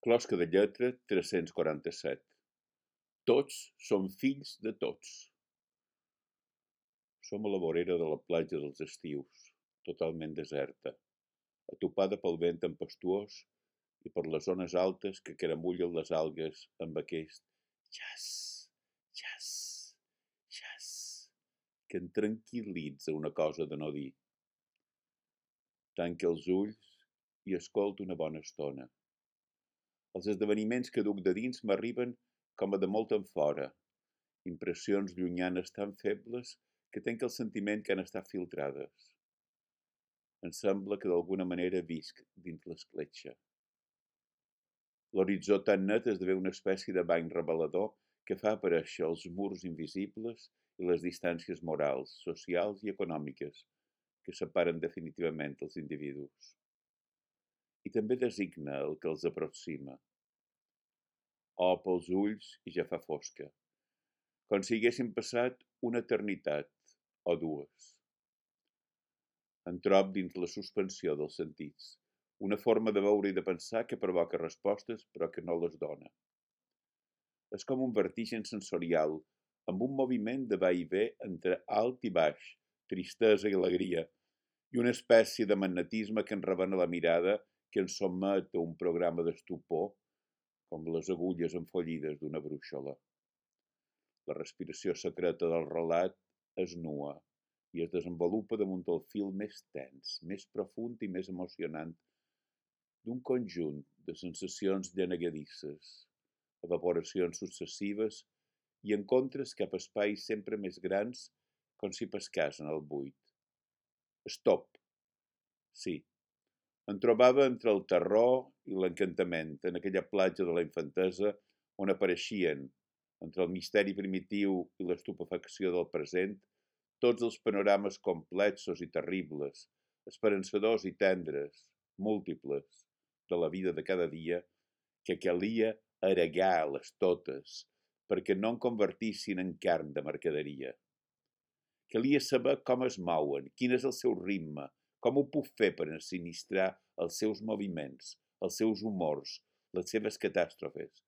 Closca de lletra 347. Tots som fills de tots. Som a la vorera de la platja dels estius, totalment deserta, atopada pel vent tempestuós i per les zones altes que caramullen les algues amb aquest jas, jas, jas, que em tranquil·litza una cosa de no dir. Tanque els ulls i escolto una bona estona. Els esdeveniments que duc de dins m'arriben com a de molt enfora, impressions llunyanes tan febles que tenc el sentiment que han estat filtrades. Em sembla que d'alguna manera visc dins l'escletxa. L'horitzó tan net esdevé una espècie de bany revelador que fa aparèixer els murs invisibles i les distàncies morals, socials i econòmiques que separen definitivament els individus. I també designa el que els aproxima. Opa els ulls i ja fa fosca, com si haguessin passat una eternitat o dues. Em trob dins la suspensió dels sentits, una forma de veure i de pensar que provoca respostes però que no les dona. És com un vertigen sensorial, amb un moviment de va i ve entre alt i baix, tristesa i alegria, i una espècie de magnetisme que enrevena la mirada que ens sotmet a un programa d'estupor, com les agulles enfollides d'una brúixola. La respiració secreta del relat es nua i es desenvolupa damunt el fil més tens, més profund i més emocionant d'un conjunt de sensacions llenegadisses, evaporacions successives i encontres cap a espais sempre més grans com si pescàs en el buit. Stop! Sí. Em trobava entre el terror i l'encantament, en aquella platja de la infantesa on apareixien, entre el misteri primitiu i l'estupefacció del present, tots els panorames complexos i terribles, esperançadors i tendres, múltiples, de la vida de cada dia, que calia aregar-les totes perquè no en convertissin en carn de mercaderia. Calia saber com es mouen, quin és el seu ritme, com ho puc fer per ensinistrar els seus moviments, els seus humors, les seves catàstrofes,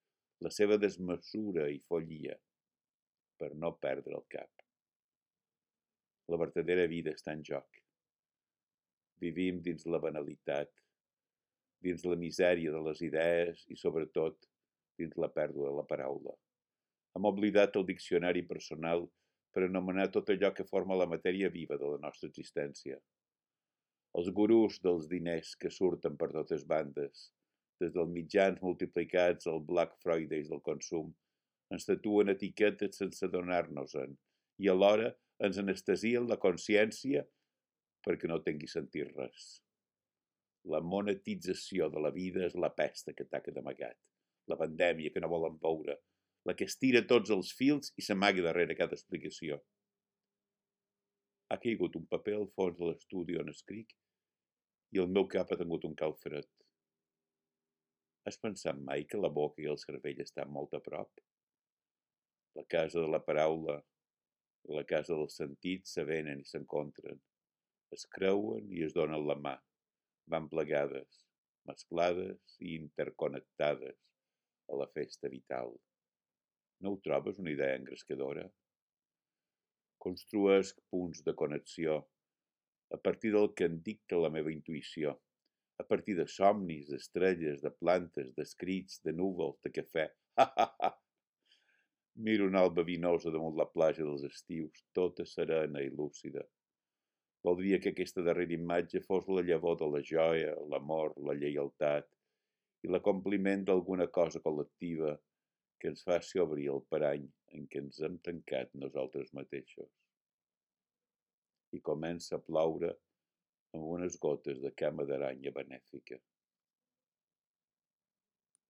la seva desmesura i follia, per no perdre el cap. La vertadera vida està en joc. Vivim dins la banalitat, dins la misèria de les idees i, sobretot, dins la pèrdua de la paraula. Hem oblidat el diccionari personal per anomenar tot allò que forma la matèria viva de la nostra existència. Els gurús dels diners que surten per totes bandes, des dels mitjans multiplicats al Black Friday del consum, ens tatuen etiquetes sense adonar-nos-en i alhora ens anestesien la consciència perquè no tingui sentit res. La monetització de la vida és la pesta que ataca d'amagat, la pandèmia que no volen veure, la que estira tots els fils i s'amaga darrere cada explicació. Ha caigut un paper al fons de l'estudi on escric i el meu cap ha tingut un calfred. Has pensat mai que la boca i el cervell estan molt a prop? La casa de la paraula i la casa dels sentits s'avenen i s'encontren, es creuen i es donen la mà, van plegades, mesclades i interconnectades a la festa vital. No ho trobes una idea engrescadora? Construesc punts de connexió a partir del que em dicta la meva intuïció, a partir de somnis, d'estrelles, de plantes, d'escrits, de núvols, de cafè. Miro una alba vinosa damunt la platja dels estius, tota serena i lúcida. Voldria que aquesta darrera imatge fos la llavor de la joia, l'amor, la lleialtat i l'acompliment d'alguna cosa col·lectiva que ens faci obrir el parany en què ens hem tancat nosaltres mateixos. I comença a ploure amb unes gotes de cama d'aranya benèfica.